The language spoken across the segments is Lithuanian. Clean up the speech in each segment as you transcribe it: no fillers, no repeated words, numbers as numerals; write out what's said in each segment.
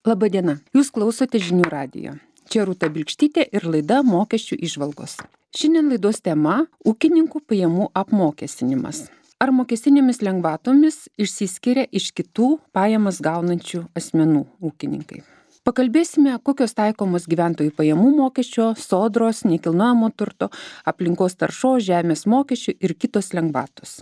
Labadiena, jūs klausote žinių radijo. Čia Rūta Bilkštytė ir laida Mokesčių įžvalgos. Šiandien laidos tema – ūkininkų pajamų apmokestinimas. Ar mokestinėmis lengvatomis išsiskiria iš kitų pajamas gaunančių asmenų ūkininkai? Pakalbėsime, kokios taikomos gyventojų pajamų mokesčio, sodros, nekilnojamo turto, aplinkos taršos, žemės mokesčių ir kitos lengvatos.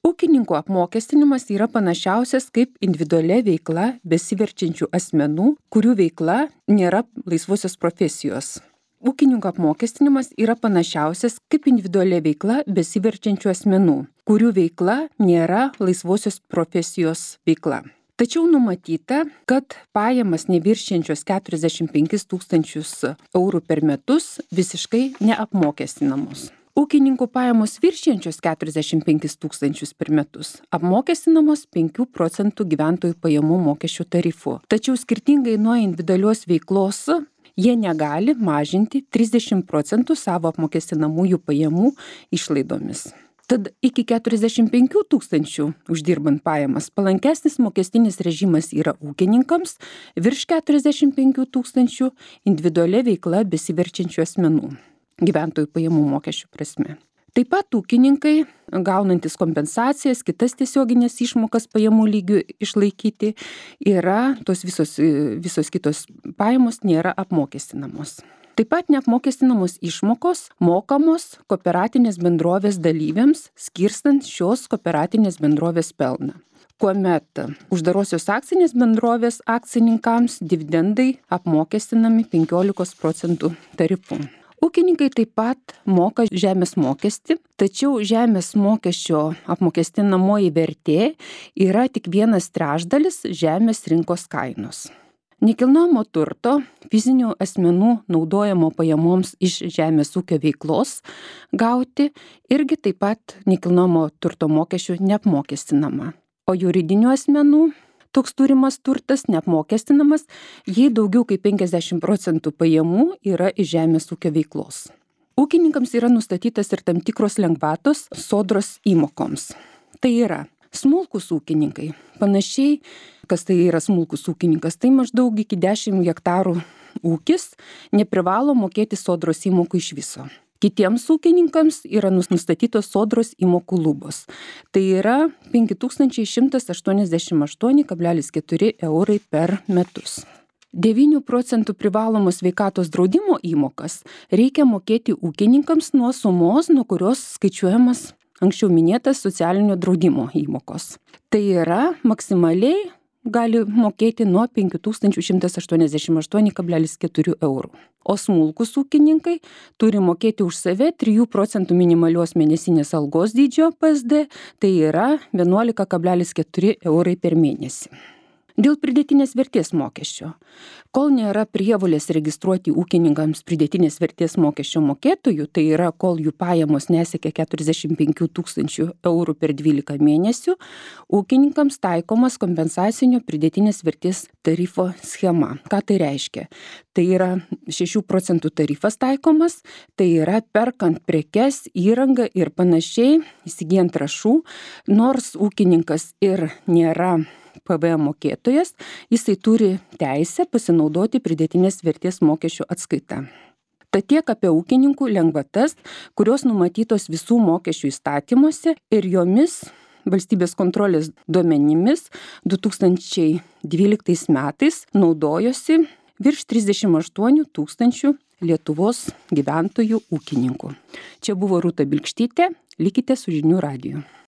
Ūkininkų apmokestinimas yra panašiausias kaip individualia veikla besiverčiančių asmenų, kurių veikla nėra laisvosios profesijos. Ūkininkų apmokestinimas yra panašiausias kaip individualia veikla besiverčiančių asmenų, kurių veikla nėra laisvosios profesijos veikla. Tačiau numatyta, kad pajamas neviršiančios 45 000 eurų per metus visiškai neapmokestinamos. Ūkininkų pajamos viršijančios 45 000 per metus apmokestinamos 5% gyventojų pajamų mokesčio tarifu. Tačiau skirtingai nuo individualios veiklos, jie negali mažinti 30% savo apmokestinamųjų pajamų išlaidomis. Tad iki 45 000 uždirbant pajamas palankesnis mokestinis režimas yra ūkininkams, virš 45 000 individualia veikla besiverčiančių asmenų gyventojų pajamų mokesčių prasme. Taip pat ūkininkai, gaunantis kompensacijas, kitas tiesioginės išmokas pajamų lygių išlaikyti, tos visos kitos pajamos nėra apmokestinamos. Taip pat neapmokestinamos išmokos mokamos kooperatinės bendrovės dalyviams, skirstant šios kooperatinės bendrovės pelną. Kuomet uždarosios akcinės bendrovės akcininkams dividendai apmokestinami 15% tarifu. Ūkininkai taip pat moka žemės mokestį, tačiau žemės mokesčio apmokestinamoji vertė yra tik 1/3 žemės rinkos kainos. Nekilnojamo turto fizinių asmenų naudojamo pajamoms iš žemės ūkio veiklos gauti irgi taip pat nekilnojamo turto mokesčių neapmokestinama. O juridinių asmenų toks turimas turtas neapmokestinamas, jei daugiau kaip 50% pajamų yra iš žemės ūkio veiklos. Ūkininkams yra nustatytas ir tam tikros lengvatos sodros įmokoms. Tai yra smulkūs ūkininkai. Panašiai, kas tai yra smulkus ūkininkas, tai maždaug iki 10 hektarų ūkis neprivalo mokėti sodros įmokų iš viso. Kitiems ūkininkams yra nustatytos sodros įmokų lubos. Tai yra 5188,4 eurai per metus. 9% privalomos sveikatos draudimo įmokas reikia mokėti ūkininkams nuo sumos, nuo kurios skaičiuojamas anksčiau minėtas socialinio draudimo įmokos. Tai yra maksimaliai gali mokėti nuo 5188,4 eurų. O smulkus ūkininkai turi mokėti už save 3% minimalios mėnesinės algos dydžio PSD, tai yra 11,4 eurai per mėnesį. Dėl pridėtinės vertės mokesčio. Kol nėra prievolės registruoti ūkininkams pridėtinės vertės mokesčio mokėtojų, tai yra kol jų pajamos nesiekia 45 000 eurų per 12 mėnesių, ūkininkams taikomas kompensacinio pridėtinės vertės tarifo schema. Ką tai reiškia? Tai yra 6% tarifas taikomas, tai yra perkant prekes, įrangą ir panašiai, įsigijant trąšų, nors ūkininkas ir nėra PVM mokėtojas, jisai turi teisę pasinaudoti pridėtinės vertės mokesčio atskaita. Tad tiek apie ūkininkų lengvatas, kurios numatytos visų mokesčių įstatymuose ir jomis valstybės kontrolės duomenimis 2012 metais naudojosi virš 38 000 Lietuvos gyventojų ūkininkų. Čia buvo Rūta Bilkštytė, likite su žinių radiju.